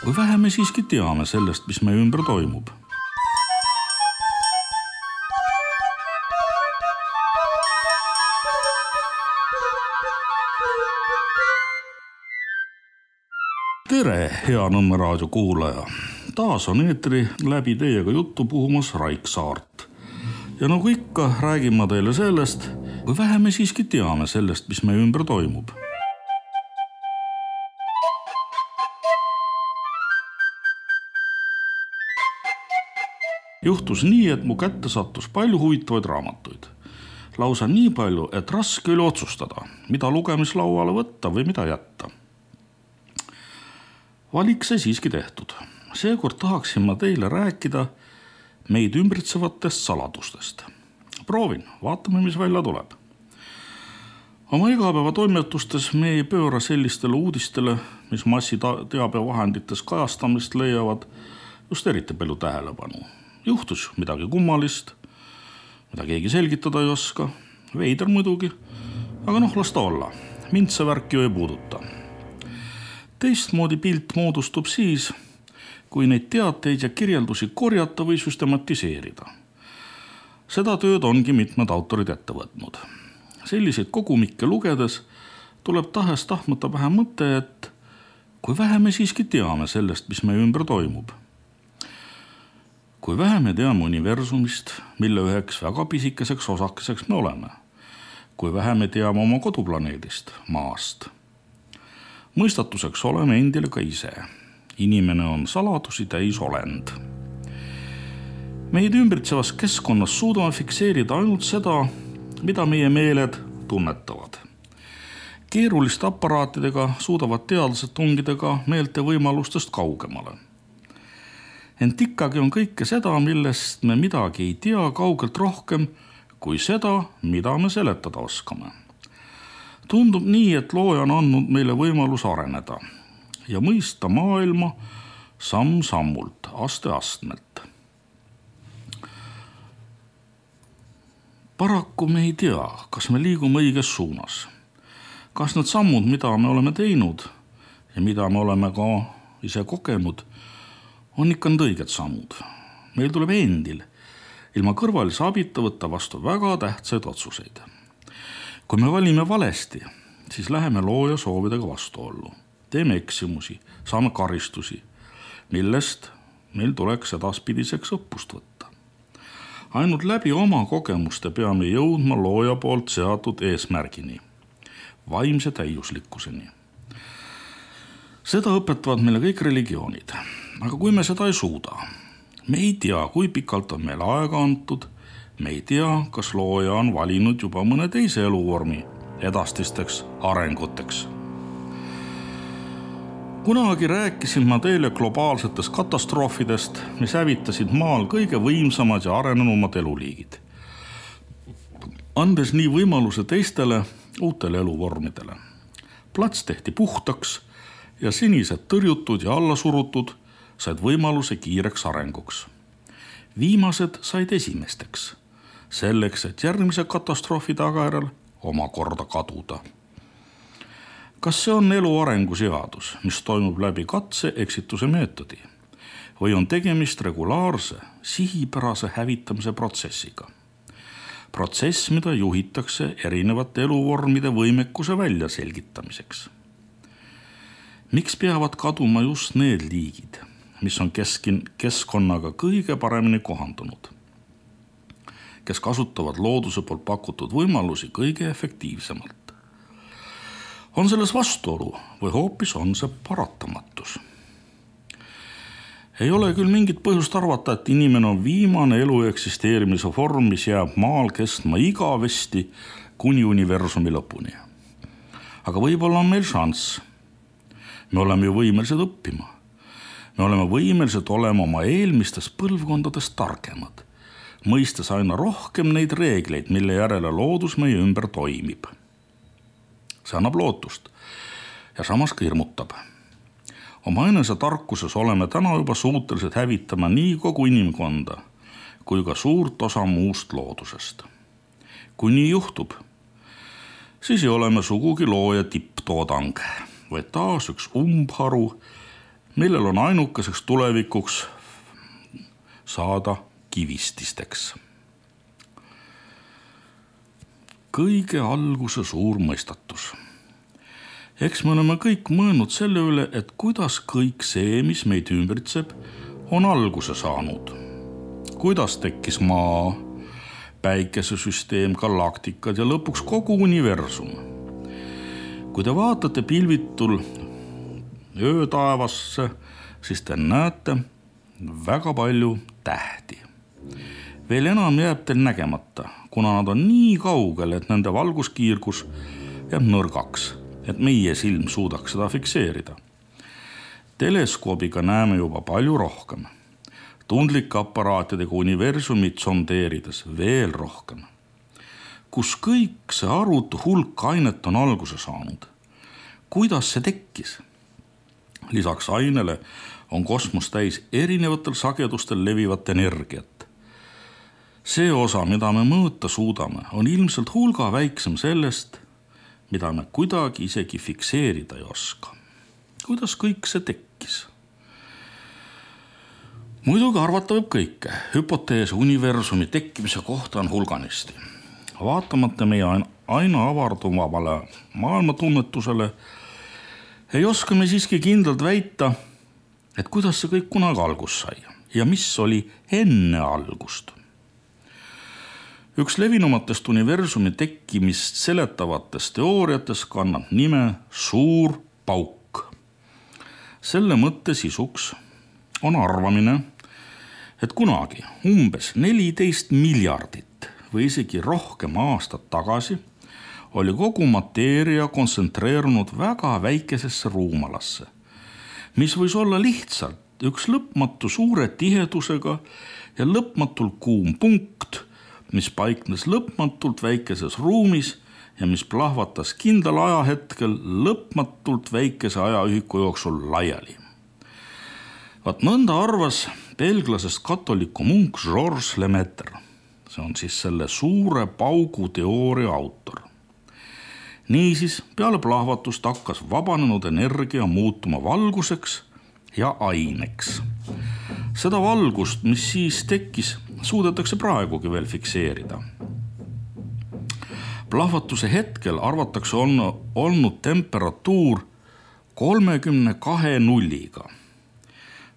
Kui vähe me siiski teame sellest, mis meie ümber toimub. Tere, hea Nõmme raadio kuulaja! Taas on eetri läbi teiega juttu puhumas Raik Saart. Ja nagu ikka, räägin ma teile sellest, kui vähe me siiski teame sellest, mis meie ümber toimub. Juhtus nii, et mu kätte sattus palju huvitavaid raamatuid. Lausa nii palju, et raske oli otsustada, mida lugemislauale võtta või mida jätta. Valik sai siiski tehtud. Seekord tahaksin ma teile rääkida meid ümbritsevatest saladustest. Proovin, vaatame, mis välja tuleb. Oma igapäeva toimetustes me ei pööra sellistele uudistele, mis massiteabevahendites kajastamist leiavad, just eriti palju tähelepanu. Juhtus midagi kummalist, mida keegi selgitada ei oska, veider muidugi, aga las ta olla, mind see värk ju ei puuduta. Teistmoodi pilt moodustub siis, kui neid teateid ja kirjeldusi korjata või süstematiseerida. Seda tööd ongi mitmed autorid ette võtnud. Selliseid kogumikke lugedes tuleb tahes-tahtmata vähe mõte, et kui vähe me siiski teame sellest, mis meie ümber toimub. Kui vähe me teame universumist, mille üheks väga pisikeseks osakeseks me oleme. Kui vähe me teame oma koduplaneedist, Maast. Mõistatuseks oleme endile ka ise. Inimene on saladusi täis olend. Meid ümbritsevas keskkonnas suudame fikseerida ainult seda, mida meie meeled tunnetavad. Keeruliste aparaatidega suudavad teadlased tungida ka meelte võimalustest kaugemale. Ent ikkagi on kõike seda, millest me midagi ei tea kaugelt rohkem kui seda, mida me seletada oskame. Tundub nii, et looja on andnud meile võimalus areneda ja mõista maailma samm-sammult, aste-astmelt. Paraku me ei tea, kas me liigume õiges suunas. Kas need sammud, mida me oleme teinud ja mida me oleme ka ise kogenud, on ikka need õiged sammud. Meil tuleb endil ilma kõrvalise abita võtta vastu väga tähtsaid otsuseid. Kui me valime valesti, siis läheme looja soovidega vastuollu. Teeme eksimusi, saame karistusi, millest meil tuleks edaspidiseks õppust võtta. Ainult läbi oma kogemuste peame jõudma looja poolt seatud eesmärgini, vaimse täiuslikkuseni. Seda õpetavad meile kõik religioonid. Aga kui me seda ei suuda, me ei tea, kui pikalt on meil aega antud, me ei tea, kas looja on valinud juba mõne teise eluvormi edastisteks arenguteks. Kunagi rääkisin ma teile globaalsetest katastroofidest, mis hävitasid maal kõige võimsamad ja arenenumad eluliigid, andes nii võimaluse teistele uutele eluvormidele. Plats tehti puhtaks ja sinised tõrjutud ja allasurutud said võimaluse kiireks arenguks. Viimased said esimesteks, selleks, et järgmise katastroofi tagajärjel omakorda kaduda. Kas see on elu arenguseadus, mis toimub läbi katse-eksituse meetodi, või on tegemist regulaarse, sihipärase hävitamise protsessiga? Protsess, mida juhitakse erinevate eluvormide võimekuse välja selgitamiseks. Miks peavad kaduma just need liigid, mis on keskkonnaga kõige paremini kohandunud, kes kasutavad looduse poolt pakutud võimalusi kõige efektiivsemalt? On selles vastuolu või hoopis on see paratamatus? Ei ole küll mingit põhjust arvata, et inimene on viimane elu eksisteerimise vorm, mis jääb maal kestma igavesti kuni universumi lõpuni. Aga võib-olla on meil šanss. Me oleme ju võimelised õppima. Me oleme võimelised olema oma eelmistest põlvkondadest targemad, mõistes aina rohkem neid reegleid, mille järele loodus meie ümber toimib. See annab lootust ja samas ka hirmutab. Oma enese tarkuses oleme täna juba suutelised hävitama nii kogu inimkonda kui ka suurt osa muust loodusest. Kui nii juhtub, siis ei ole me sugugi looja tipptoodang, vaid taas üks umbharu millel on ainukeseks tulevikuks saada kivististeks. Kõige alguse suur mõistatus. Eks me oleme kõik mõelnud selle üle, et kuidas kõik see, mis meid ümbritseb, on alguse saanud. Kuidas tekkis maa, päikesesüsteem, galaktikad ja lõpuks kogu universum. Kui te vaatate pilvitul öötaevasse, siis te näete väga palju tähti. Veel enam jääb teil nägemata, kuna nad on nii kaugel, et nende valguskiirgus jääb nõrgaks, et meie silm suudaks seda fikseerida. Teleskoobiga näeme juba palju rohkem. Tundlike aparaatidega universumit sondeerides veel rohkem. Kus kõik see arutu hulk ainet on alguse saanud? Kuidas see tekkis? Lisaks ainele on kosmos täis erinevatel sagedustel levivat energiat. See osa, mida me mõõta suudame, on ilmselt hulga väiksem sellest, mida me kuidagi isegi fikseerida ei oska. Kuidas kõik see tekkis? Muidugi arvata võib kõike. Hüpotees universumi tekkimise kohta on hulganisti. Vaatamata meie aina avarduvale maailmatunnetusele ei oska me siiski kindlalt väita, et kuidas see kõik kunagi algust sai ja mis oli enne algust. Üks levinumatest universumi tekkimist seletavatest teooriatest kannab nime suur pauk. Selle mõtte sisuks on arvamine, et kunagi umbes 14 miljardit või isegi rohkem aastat tagasi oli kogu mateeria kontsentreerunud väga väikesesse ruumalasse, mis võis olla lihtsalt üks lõpmatu suure tihedusega ja lõpmatult kuum punkt, mis paiknes lõpmatult väikeses ruumis ja mis plahvatas kindlal ajahetkel lõpmatult väikese ajaühiku jooksul laiali. Vaat nõnda arvas belglasest katoliku munk Georges Lemaitre. See on siis selle suure paugu teooria autor. Niisiis, peale plahvatust hakkas vabanenud energia muutuma valguseks ja aineks. Seda valgust, mis siis tekkis, suudetakse praegugi veel fikseerida. Plahvatuse hetkel arvatakse olnud temperatuur 32 nulliga.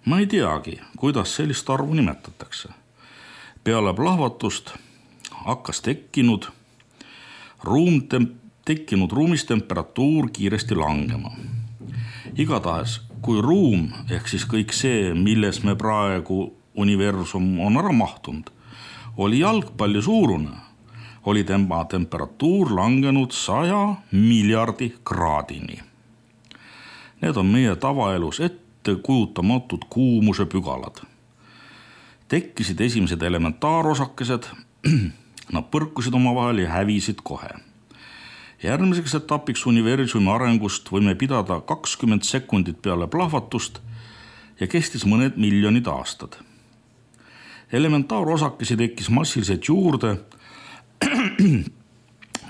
Ma ei teagi, kuidas sellist arvu nimetatakse. Peale plahvatust hakkas tekkinud ruumis temperatuur kiiresti langema. Igatahes, kui ruum ehk siis kõik see, milles me praegu universum on ära mahtunud, oli jalgpalli suurune, oli tema temperatuur langenud 100 miljardi kraadini. Need on meie tavaelus ette kujutamatud kuumuse pügalad. Tekkisid esimesed elementaarosakesed, nad põrkusid omavahel ja hävisid kohe. Järgmiseks etapiks universumi arengust võime pidada 20 sekundit peale plahvatust ja kestis mõned miljonid aastad. Elementaarosakesi tekkis massiliselt juurde,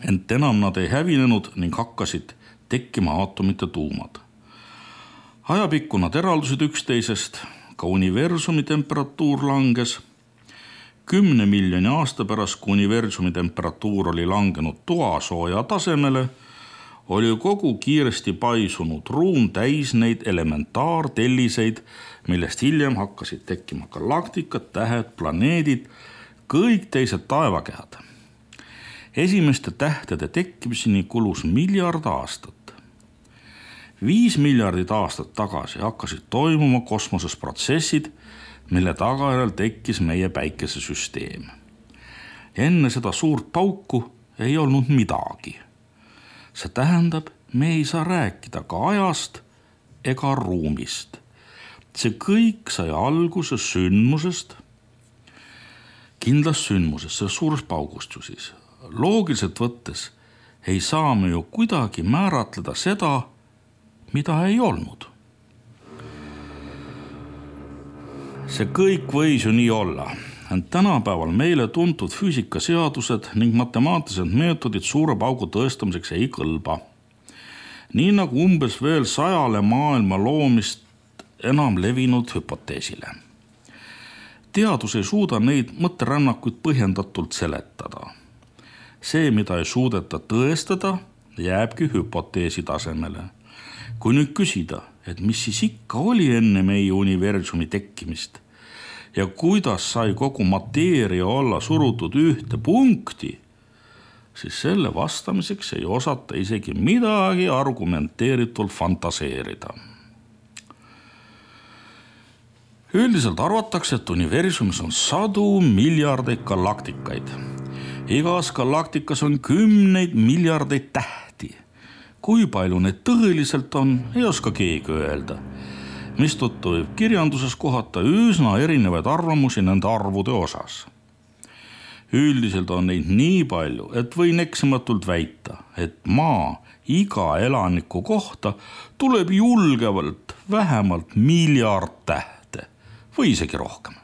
ent enam nad ei hävinenud ning hakkasid tekkima aatomite tuumad. Ajapikku nad eraldusid üksteisest, ka universumi temperatuur langes. 10 miljoni aasta pärast, kui universumi temperatuur oli langenud toasooja tasemele, oli kogu kiiresti paisunud ruum täis neid elementaartelliseid, millest hiljem hakkasid tekkima galaktikad, tähed, planeedid, kõik teised taevakehad. Esimeste tähtede tekkimiseni kulus miljard aastat. 5 miljardit aastat tagasi hakkasid toimuma kosmoses protsessid, mille tagajärjel tekkis meie päikesesüsteem. Enne seda suurt pauku ei olnud midagi. See tähendab, me ei saa rääkida ka ajast ega ruumist. See kõik sai alguse sündmusest, kindlast sündmusest, sellest suurest paugust ju siis. Loogiliselt võttes ei saa me ju kuidagi määratleda seda, mida ei olnud. See kõik võis ju nii olla, ent tänapäeval meile tuntud füüsikaseadused ning matemaatilised meetodid suure paugu tõestamiseks ei kõlba. Nii nagu umbes veel 100 maailma loomist enam levinud hüpoteesile. Teadus ei suuda neid mõtterännakuid põhjendatult seletada. See, mida ei suudeta tõestada, jääbki hüpoteesi tasemele. Kui nüüd küsida, et mis siis ikka oli enne meie universumi tekkimist ja kuidas sai kogu mateeria olla surutud ühte punkti, siis selle vastamiseks ei osata isegi midagi argumenteeritult fantaseerida. Üldiselt arvatakse, et universumis on sadu miljardeid galaktikaid. Igas galaktikas on 10 miljardeid tähti. Kui palju need tõeliselt on, ei oska keegi öelda, mistõttu võib kirjanduses kohata üsna erinevaid arvamusi nende arvude osas. Üldiselt on neid nii palju, et võin eksimatult väita, et maa iga elaniku kohta tuleb julgevalt vähemalt miljard tähte või isegi rohkem.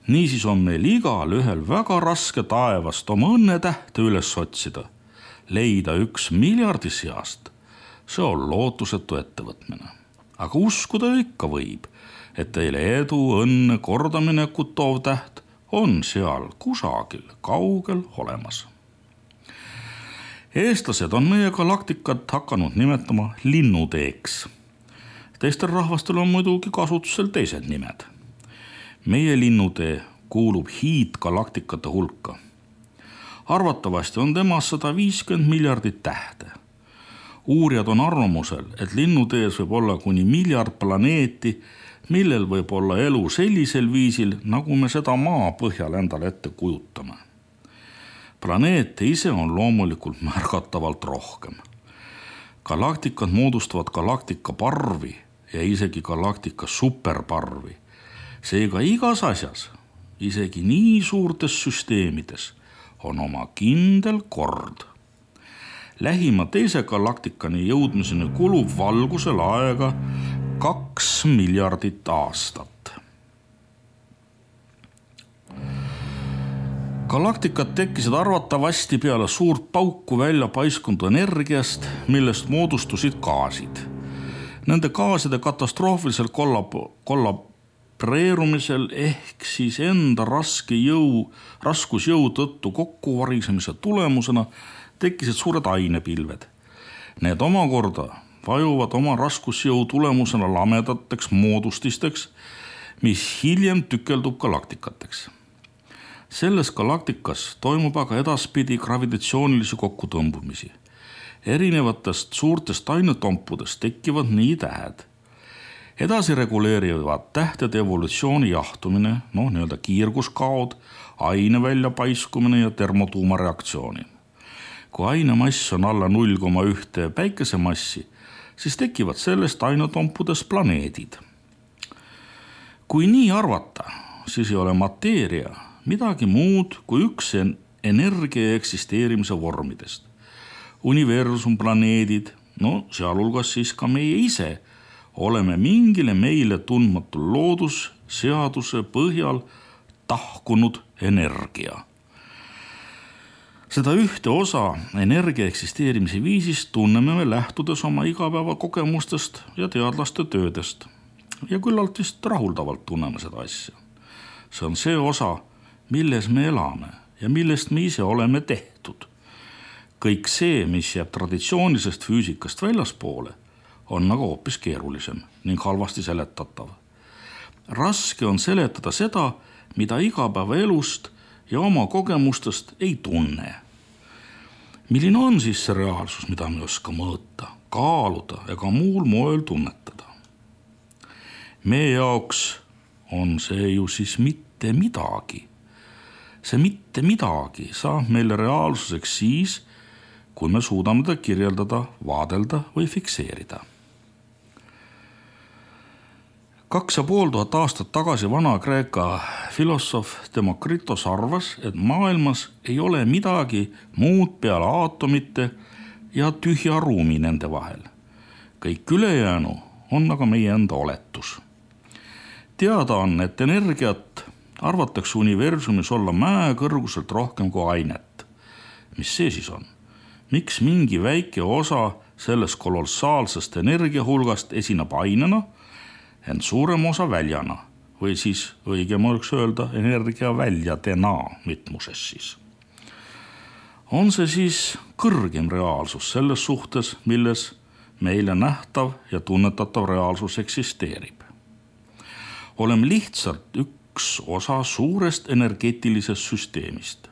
Niisiis on meil igal ühel väga raske taevast oma õnnetähte üles otsida. Leida 1 miljardi seast, see on lootusetu ettevõtmine. Aga uskuda ikka võib, et teile edu, õnne, kordaminekut toov täht on seal kusagil kaugel olemas. Eestlased on meie galaktikat hakanud nimetama linnuteeks. Teistel rahvastel on muidugi kasutusel teised nimed. Meie linnutee kuulub hiidgalaktikate hulka. Arvatavasti on temas 150 miljardit tähte. Uurijad on arvamusel, et linnutees võib olla kuni miljard planeeti, millel võib olla elu sellisel viisil, nagu me seda maa põhjal endale ette kujutame. Planeete ise on loomulikult märgatavalt rohkem. Galaktikad moodustavad galaktika parvi ja isegi galaktika superparvi. Seega igas asjas, isegi nii suurtes süsteemides, on oma kindel kord. Lähima teise galaktikani jõudmiseni kulub valgusel aega 2 miljardit aastat. Galaktikad tekkisid arvatavasti peale suurt pauku välja paiskunud energiast, millest moodustusid gaasid. Nende gaaside katastroofilisel kollaboreerumisel ehk siis enda raskusjõu tõttu kokkuvarisemise tulemusena tekkisid suured ainepilved. Need omakorda vajuvad oma raskusjõu tulemusena lamedateks moodustisteks, mis hiljem tükeldub galaktikateks. Selles galaktikas toimub aga edaspidi gravitatsioonilisi kokkutõmbumisi. Erinevatest suurtest ainetompudest tekivad nii tähed. Edasi reguleerivad tähtede evolutsiooni jahtumine, nii-öelda kiirguskaod, aine väljapaiskumine ja termotuumareaktsiooni. Kui ainemass on alla 0,1 päikesemassi, siis tekivad sellest ainetompudest planeedid. Kui nii arvata, siis ei ole mateeria midagi muud kui üks energia eksisteerimise vormidest. Universum, planeedid, sealhulgas siis ka meie ise, oleme mingile meile tundmatul loodusseaduse põhjal tahkunud energia. Seda ühte osa energia eksisteerimise viisist tunneme me lähtudes oma igapäevakogemustest ja teadlaste töödest. Ja küllalt vist rahuldavalt tunneme seda asja. See on see osa, milles me elame ja millest me ise oleme tehtud. Kõik see, mis jääb traditsioonilisest füüsikast väljaspoole, on aga hoopis keerulisem ning halvasti seletatav. Raske on seletada seda, mida igapäevaelust ja oma kogemustest ei tunne. Milline on siis see reaalsus, mida me ei oska mõõta, kaaluda ega muul moel tunnetada? Meie jaoks on see ju siis mitte midagi. See mitte midagi saab meile reaalsuseks siis, kui me suudame ta kirjeldada, vaadelda või fikseerida. 2500 aastat tagasi Vana-Kreeka filosoof Demokritos arvas, et maailmas ei ole midagi muud peale aatomite ja tühja ruumi nende vahel. Kõik ülejäänu on aga meie enda oletus. Teada on, et energiat arvatakse universumis olla mäekõrguselt rohkem kui ainet. Mis see siis on? Miks mingi väike osa sellest kolossaalsest energiahulgast esineb ainena ent suurem osa väljana või siis õigem oleks öelda energia väljadena mitmuses siis. On see siis kõrgem reaalsus selles suhtes, milles meile nähtav ja tunnetatav reaalsus eksisteerib. Oleme lihtsalt üks osa suurest energeetilisest süsteemist.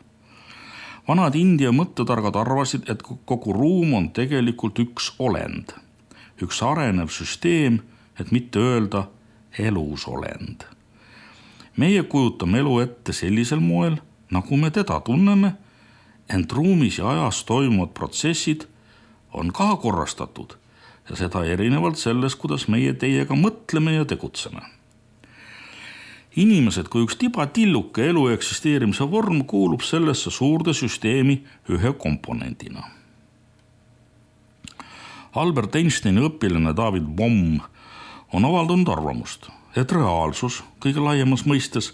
Vanad India mõttetargad arvasid, et kogu ruum on tegelikult üks olend, üks arenev süsteem, et mitte öelda elus olend. Meie kujutame elu ette sellisel moel, nagu me teda tunneme, ent ruumis ja ajas toimuvad protsessid on ka korrastatud ja seda erinevalt sellest, kuidas meie teiega mõtleme ja tegutseme. Inimesed kui üks tibatilluke elu eksisteerimise vorm kuulub sellesse suurde süsteemi ühe komponendina. Albert Einsteini õpilane David Bohm on avaldanud arvamust, et reaalsus kõige laiemas mõistes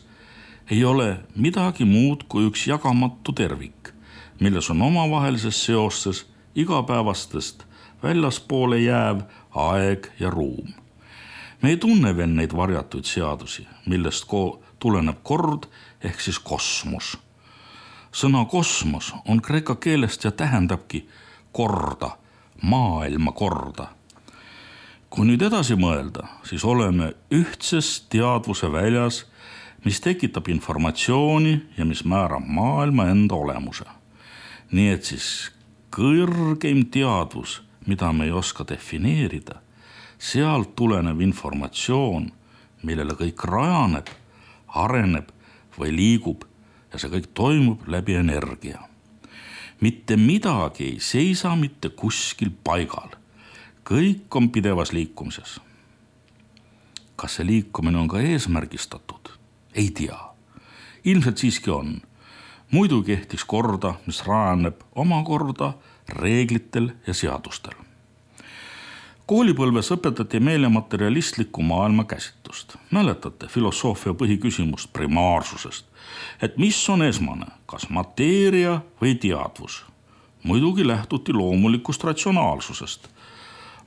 ei ole midagi muud kui üks jagamatu tervik, milles on omavahelises seostes igapäevastest väljaspoole jääv aeg ja ruum. Me ei tunne veel neid varjatuid seadusi, millest tuleneb kord ehk siis kosmos. Sõna kosmos on kreeka keelest ja tähendabki korda, maailma korda. Kui nüüd edasi mõelda, siis oleme ühtses teadvuse väljas, mis tekitab informatsiooni ja mis määrab maailma enda olemuse. Nii et siis kõrgeim teadvus, mida me ei oska defineerida, sealt tulenev informatsioon, millele kõik rajaneb, areneb või liigub ja see kõik toimub läbi energia. Mitte midagi ei seisa mitte kuskil paigal. Kõik on pidevas liikumises. Kas see liikumine on ka eesmärgistatud? Ei tea. Ilmselt siiski on. Muidu kehtiks korda, mis rajaneb omakorda reeglitel ja seadustel. Koolipõlves õpetati meile materialistlikku maailma käsitlust. Mäletate filosoofia põhiküsimust primaarsusest, et mis on esmane, kas mateeria või teadvus? Muidugi lähtuti loomulikust ratsionaalsusest.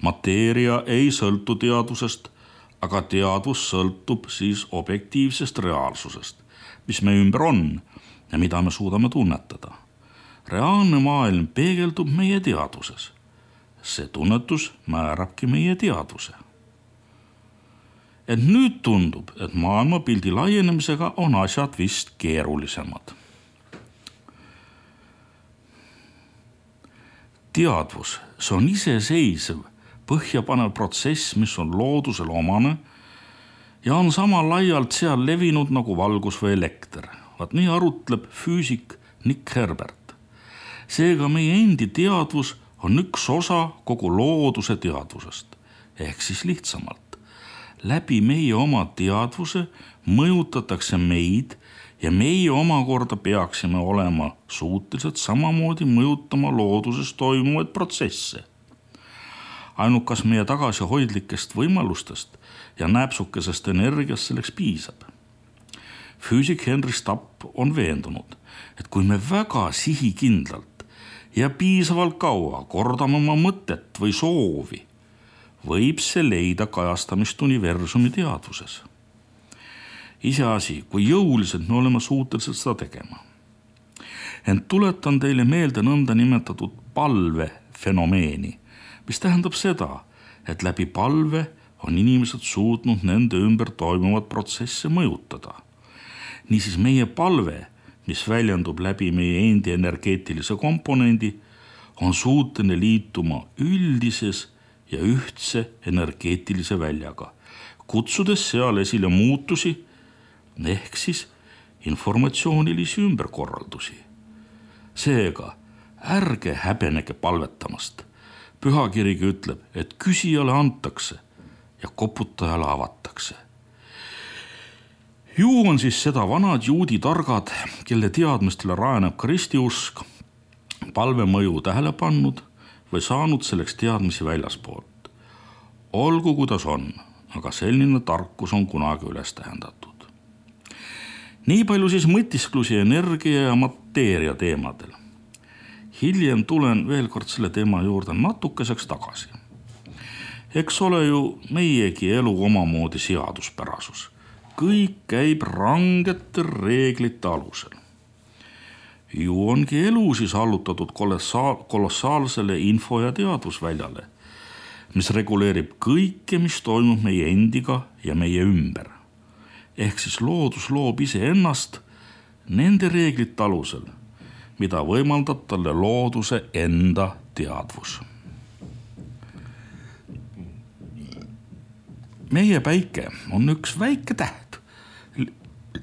Mateeria ei sõltu teadvusest, aga teadvus sõltub siis objektiivsest reaalsusest, mis me ümber on ja mida me suudame tunnetada. Reaalne maailm peegeldub meie teadvuses. See tunnetus määrabki meie teadvuse. Et nüüd tundub, et maailmapildi laienemisega on asjad vist keerulisemad. Teadvus, see on iseseisev, põhjapanev protsess, mis on loodusel omane ja on sama laialt seal levinud nagu valgus või elekter. Vaat nii arutleb füüsik Nick Herbert. Seega meie endi teadvus on üks osa kogu looduse teadvusest, ehk siis lihtsamalt. Läbi meie oma teadvuse mõjutatakse meid ja meie omakorda peaksime olema suutelised samamoodi mõjutama looduses toimuvaid protsesse. Ainukas meie tagasihoidlikest võimalustest ja näpsukesest energiast selleks piisab. Füüsik Henry Stapp on veendunud, et kui me väga sihikindlalt ja piisavalt kaua kordame oma mõtet või soovi, võib see leida kajastamist universumi teadvuses. Iseasi, kui jõuliselt me oleme suutelised seda tegema. Ent tuletan teile meelde nõnda nimetatud palvefenomeeni, mis tähendab seda, et läbi palve on inimesed suutnud nende ümber toimuvat protsesse mõjutada. Niisiis meie palve, mis väljendub läbi meie endi energeetilise komponendi, on suuteline liituma üldises ja ühtse energeetilise väljaga, kutsudes seal esile muutusi ehk siis informatsioonilisi ümberkorraldusi. Seega, ärge häbenege palvetamast. Pühakirigi ütleb, et küsijale antakse ja koputajale avatakse. Ju on siis seda vanad juudi targad, kelle teadmistele rajaneb kristiusk, palve mõju tähele pannud või saanud selleks teadmisi väljaspoolt. Olgu kuidas on, aga selline tarkus on kunagi üles tähendatud. Nii palju siis mõtisklusi energia ja mateeria teemadel. Hiljem tulen veel kord selle teema juurde natukeseks tagasi. Eks ole ju meiegi elu omamoodi seaduspärasus. Kõik käib rangete reeglite alusel. Ju ongi elu siis allutatud kolossaalsele info- ja teadvusväljale, mis reguleerib kõike, mis toimub meie endiga ja meie ümber. Ehk siis loodus loob iseennast nende reeglite alusel, mida võimaldab talle looduse enda teadvus. Meie päike on üks väike täht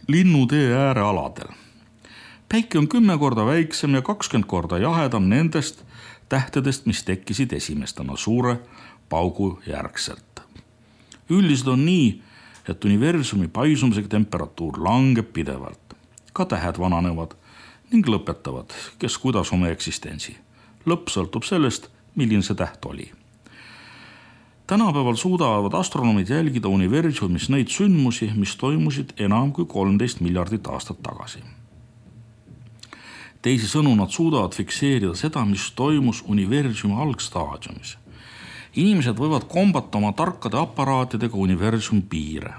linnutee äärealadel. Päike on 10 korda väiksem ja 20 korda jahedam nendest tähtedest, mis tekkisid esimestena suure paugu järgselt. Üldiselt on nii, et universumi paisumisega temperatuur langeb pidevalt. Ka tähed vananevad ning lõpetavad, kes kuidas oma eksistentsi. Lõpp sõltub sellest, milline see täht oli. Tänapäeval suudavad astronomid jälgida universumis neid sündmusi, mis toimusid enam kui 13 miljardit aastat tagasi. Teisisõnu nad suudavad fikseerida seda, mis toimus universumi algstaadiumis. Inimesed võivad kombata oma tarkade aparaatidega universumi piire.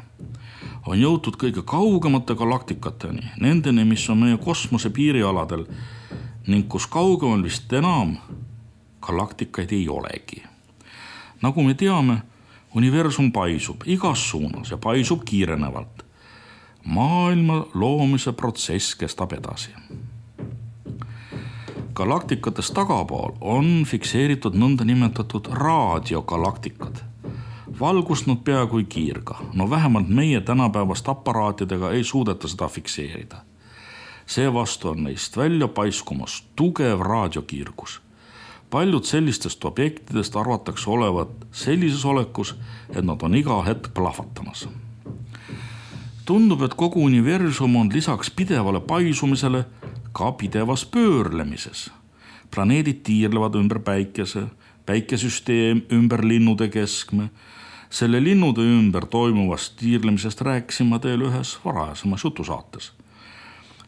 On jõutud kõige kaugemate galaktikateni, nendeni, mis on meie kosmose piirialadel ning kus kaugemal vist enam galaktikaid ei olegi. Nagu me teame, universum paisub igas suunas ja paisub kiirenevalt. Maailma loomise protsess kestab edasi. Galaktikatest tagapool on fikseeritud nõnda nimetatud raadiogalaktikad. Valgust nad peaaegu ei kiirga, no vähemalt meie tänapäevast aparaatidega ei suudeta seda fikseerida. Seevastu on neist välja paiskumas tugev raadiokiirgus. Paljud sellistest objektidest arvatakse olevat sellises olekus, et nad on iga hetk plahvatamas. Tundub, et kogu universum on lisaks pidevale paisumisele ka pidevas pöörlemises. Planeedid tiirlevad ümber päikese, päikesüsteem ümber linnude keskme. Selle linnude ümber toimuvast tiirlemisest rääkisin ma teile ühes varajasemas jutusaates.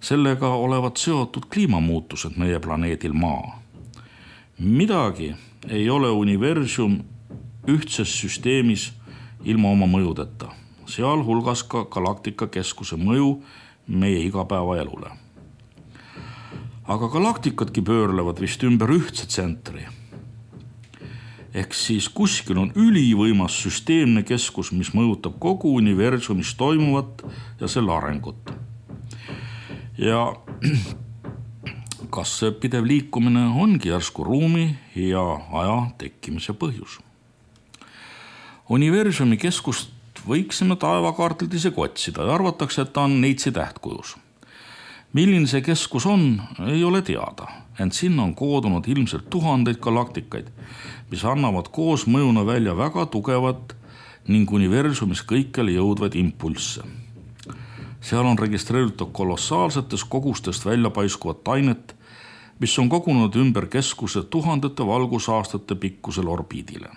Sellega olevat seotud kliimamuutused meie planeedil Maa. Midagi ei ole universum ühtses süsteemis ilma oma mõjudeta, sealhulgas ka galaktika keskuse mõju meie igapäevaelule. Aga galaktikadki pöörlevad vist ümber ühtse tsentri. Ehk siis kuskil on ülivõimas süsteemne keskus, mis mõjutab kogu universumis toimuvat ja selle arengut. Ja kas see pidev liikumine ongi järsku ruumi ja aja tekkimise põhjus? Universumi keskust võiksime taevakaartilt isegi otsida ja arvatakse, et ta on neitsi tähtkujus. Milline see keskus on, ei ole teada, ent sinna on koodunud ilmselt tuhandeid galaktikaid, mis annavad koos mõjuna välja väga tugevat ning universumis kõikjale jõudvaid impulsse. Seal on registreeritud kolossaalsetest kogustest välja paiskuvat ainet, mis on kogunud ümber keskuse tuhandete valgusaastate pikkusel orbiidile.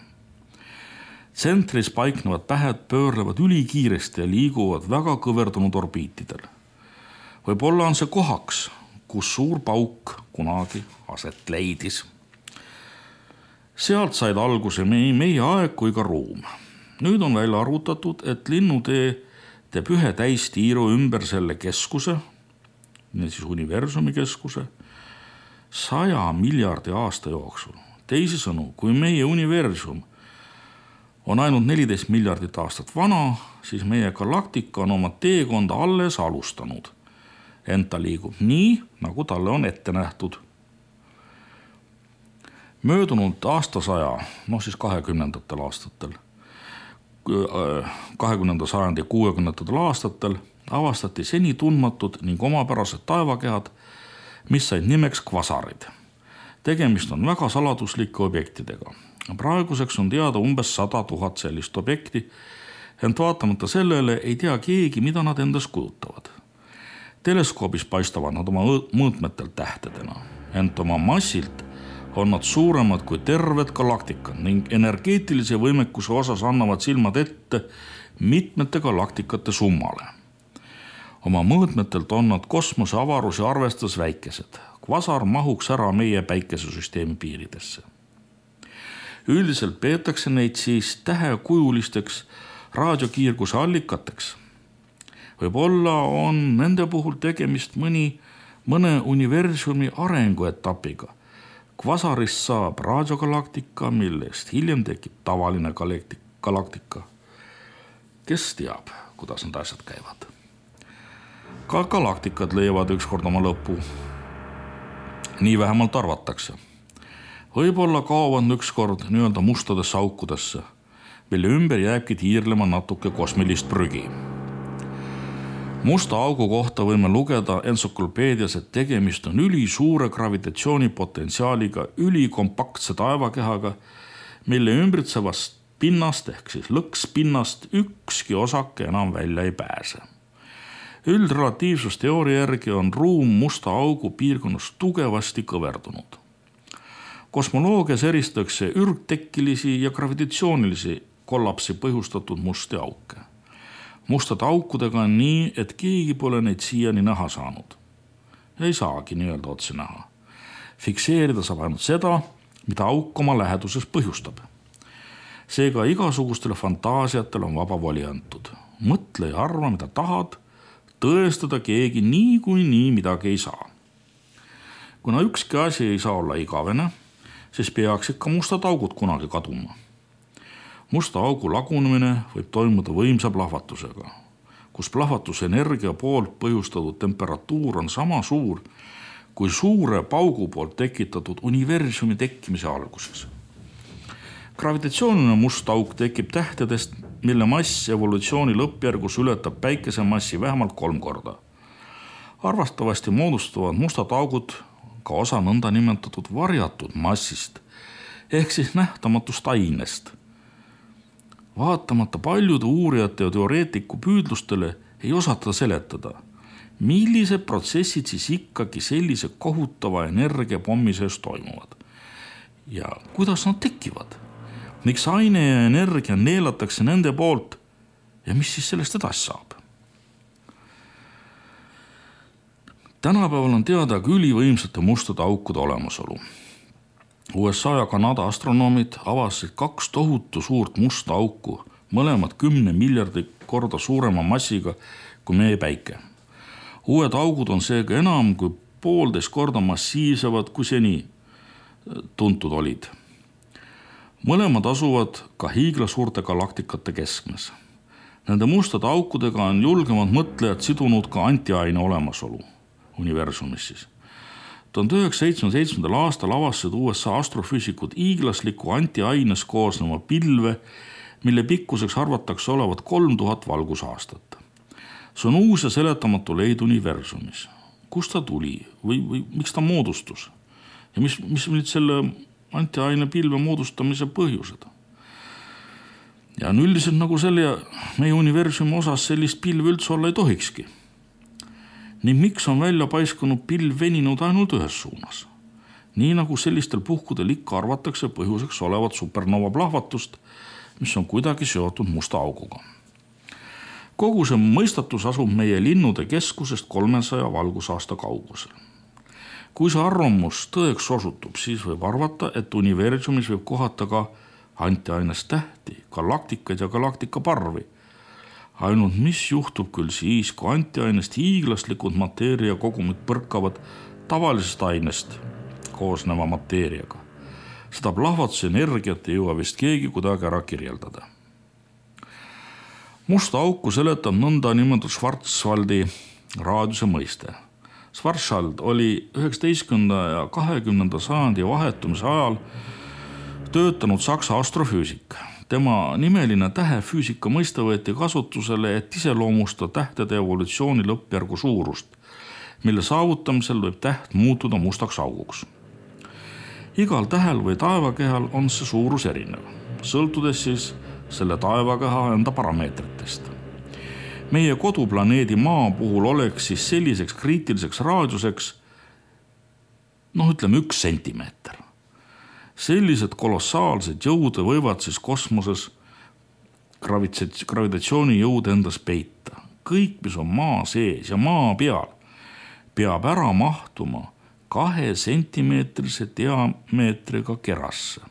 Tsentris paiknevad pähed pöörlevad ülikiiresti ja liiguvad väga kõverdunud orbiitidel. Võib-olla on see kohaks, kus suur pauk kunagi aset leidis. Sealt said alguse meie aeg kui ka ruum. Nüüd on välja arvutatud, et linnutee teeb ühe täistiiru ümber selle keskuse, siis universumi keskuse, 100 miljardi aasta jooksul. Teisisõnu, kui meie universum on ainult 14 miljardit aastat vana, siis meie galaktika on oma teekonda alles alustanud. Ent ta liigub nii, nagu talle on ette nähtud. Möödunud aastasaja, siis 20. aastatel, 20. sajandi 60. aastatel avastati seni tundmatud ning omapärased taevakehad, mis said nimeks kvasarid. Tegemist on väga saladuslike objektidega. Praeguseks on teada umbes 100 000 sellist objekti, ent vaatamata sellele ei tea keegi, mida nad endas kujutavad. Teleskoobis paistavad nad oma mõõtmetel tähtedena, ent oma massilt on nad suuremad kui terved galaktikad ning energeetilise võimekuse osas annavad silmad ette mitmete galaktikate summale. Oma mõõtmetelt on nad kosmose avarusi arvestades väikesed. Kvasar mahuks ära meie päikesesüsteemi piiridesse. Üldiselt peetakse neid siis tähekujulisteks raadiokiirguse allikateks. Võib-olla on nende puhul tegemist mõne universumi arenguetapiga. Kvasarist saab raadiogalaktika, millest hiljem tekib tavaline galaktika. Kes teab, kuidas need asjad käivad? Ka galaktikad leiavad ükskord oma lõpu. Nii vähemalt arvatakse. Võib-olla kaovad ükskord nii-öelda mustadesse aukudesse, mille ümber jääbki tiirlema natuke kosmilist prügi. Musta augu kohta võime lugeda entsüklopeedias, et tegemist on ülisuure gravitatsioonipotentsiaaliga ülikompaktse taevakehaga, mille ümbritsevast pinnast ehk siis lõkspinnast ükski osake enam välja ei pääse. Üldralatiivsusteooria järgi on ruum musta augu piirkonnas tugevasti kõverdunud. Kosmoloogias eristatakse ürgtekkilisi ja gravitatsioonilisi kollapsi põhjustatud musti auke. Mustade aukudega on nii, et keegi pole neid siiani näha saanud. Ei saagi nii-öelda otse näha. Fikseerida saab ainult seda, mida auk oma läheduses põhjustab. Seega igasugustele fantaasiatele on vaba voli antud. Mõtle ja arva, mida tahad, tõestada keegi nii midagi ei saa. Kuna ükski asi ei saa olla igavene, siis peaks ikka mustad augud kunagi kaduma. Musta augu lagunemine võib toimuda võimsa plahvatusega, kus plahvatusenergia poolt põhjustatud temperatuur on sama suur kui suure paugu poolt tekitatud universumi tekkimise alguses. Gravitatsiooniline must auk tekib tähtedest, mille mass evolutsiooni lõppjärgus ületab päikese massi vähemalt 3 korda. Arvastavasti moodustavad mustad augud ka osa nõnda nimetatud varjatud massist ehk siis nähtamatust ainest. Vaatamata paljude uurijate ja teoreetiku püüdlustele ei osata seletada, millised protsessid siis ikkagi sellise kohutava energiapommi sees toimuvad ja kuidas nad tekivad. Miks aine ja energia neelatakse nende poolt ja mis siis sellest edasi saab? Tänapäeval on teada ka ülivõimsate mustade aukude olemasolu. USA ja Kanada astronoomid avasid 2 tohutu suurt musta auku, mõlemad 10 miljardi korda suurema massiga kui meie päike. Uued augud on seega enam kui 1,5 korda massiivsemad kui seni tuntud olid. Mõlemad asuvad ka hiiglasuurte galaktikate keskmes. Nende mustade aukudega on julgemad mõtlejad sidunud ka antiaine olemasolu universumis siis. 1977. aastal avastasid USA astrofüüsikud hiiglasliku antiaines koosneva pilve, mille pikkuseks arvatakse olevat 3000 valgusaastat. See on uus ja seletamatu leid universumis. Kust ta tuli või miks ta moodustus? Ja mis nüüd selle antiaine pilve moodustamise põhjused? Ja on üldiselt nagu selle meie universumi osas sellist pilve üldse olla ei tohikski. Ning miks on välja paiskunud pilv veninud ainult ühes suunas? Nii nagu sellistel puhkudel ikka arvatakse põhjuseks olevat supernova plahvatust, mis on kuidagi seotud musta auguga. Kogu see mõistatus asub meie linnude keskusest 300 valgusaasta kaugusel. Kui see arvamus tõeks osutub, siis võib arvata, et universumis võib kohata ka antiainest tähti, galaktikaid ja galaktikaparvi. Ainult mis juhtub küll siis, kui antiainest hiiglaslikud mateeria kogumid põrkavad tavalisest ainest koosneva mateeriaga. Seda plahvatuse energiat ei jõua vist keegi kuidagi ära kirjeldada. Musta auku seletab nõnda nimetatud Schwarzwaldi raadiuse mõiste. Schwarzwald oli 19. ja 20. sajandi vahetumise ajal töötanud Saksa astrofüüsik. Tema nimeline tähefüüsika mõiste võeti kasutusele, et iseloomustada tähtede evolutsiooni lõppjärgu suurust, mille saavutamisel võib täht muutuda mustaks auguks. Igal tähel või taevakehal on see suurus erinev, sõltudes siis selle taevakeha enda parameetritest. Meie koduplaneedi Maa puhul oleks siis selliseks kriitiliseks raadiuseks, 1 sentimeeter. Sellised kolossaalsed jõud võivad siis kosmoses gravitatsiooni jõud endas peita. Kõik, mis on maa sees ja maa peal, peab ära mahtuma 2 sentimeetrise diameetriga kerasse.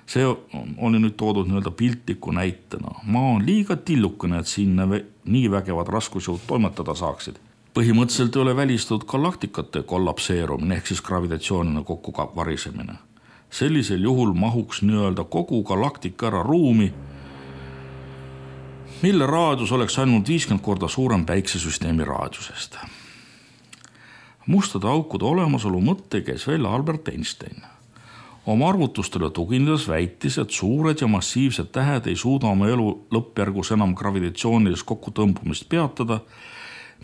See oli nüüd toodud nii-öelda piltliku näitena. Maa on liiga tillukene, et sinna nii vägevad raskusjõud toimetada saaksid. Põhimõtteliselt ei ole välistatud galaktikate kollapseerumine ehk siis gravitatsioonina kokku varisemine. Sellisel juhul mahuks nii-öelda kogu galaktika ära ruumi, mille raadius oleks ainult 50 korda suurem päiksesüsteemi raadiusest. Mustade aukude olemasolu mõtte käis välja Albert Einstein. Oma arvutustele tuginedes väitis, et suured ja massiivsed tähed ei suuda oma elu lõppjärgus enam gravitatsioonilist kokkutõmbumist peatada,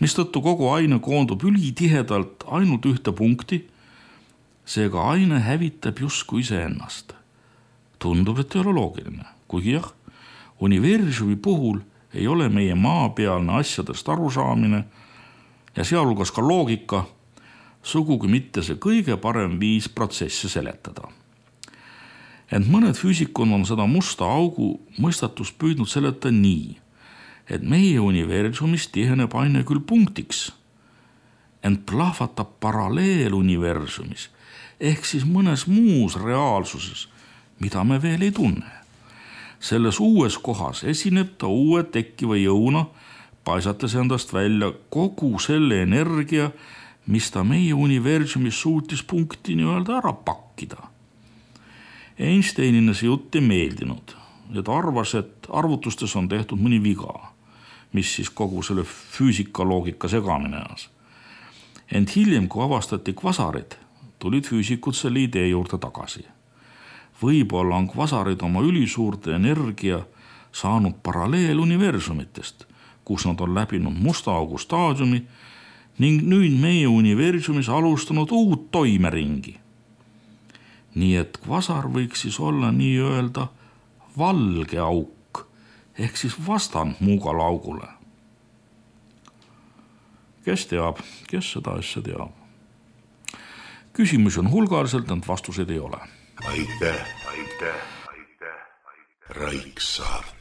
mistõttu kogu aine koondub ülitihedalt ainult ühte punkti, seega aine hävitab justkui iseennast. Tundub, et ei ole loogiline, kuigi jah, universumi puhul ei ole meie maapealne asjadest arusaamine ja sealhulgas ka loogika sugugi mitte see kõige parem viis protsessi seletada. Ent mõned füüsikud on seda musta augu mõistatust püüdnud seletada nii, et meie universumis tiheneb aine küll punktiks, ent plahvatab paralleeluniversumis ehk siis mõnes muus reaalsuses, mida me veel ei tunne. Selles uues kohas esineb ta uue tekkiva jõuna, paisates endast välja kogu selle energia, mis ta meie universumis suutis punkti nii-öelda ära pakkida. Einsteinina see jutt ei meeldinud ja ta arvas, et arvutustes on tehtud mõni viga, mis siis kogu selle füüsikaloogika segamine ajas. Ent hiljem, kui avastati kvasarid, tulid füüsikud selle idee juurde tagasi. Võib-olla on kvasarid oma ülisuurte energia saanud paralleeluniversumitest, kus nad on läbinud musta augu staadiumi ning nüüd meie universumis alustanud uut toimeringi. Nii et kvasar võiks siis olla nii-öelda valge auk ehk siis vastand muugale augule. Kes teab, kes seda asja teab? Küsimusi on hulgaliselt, ent vastuseid ei ole. Aitäh. Raiksaart.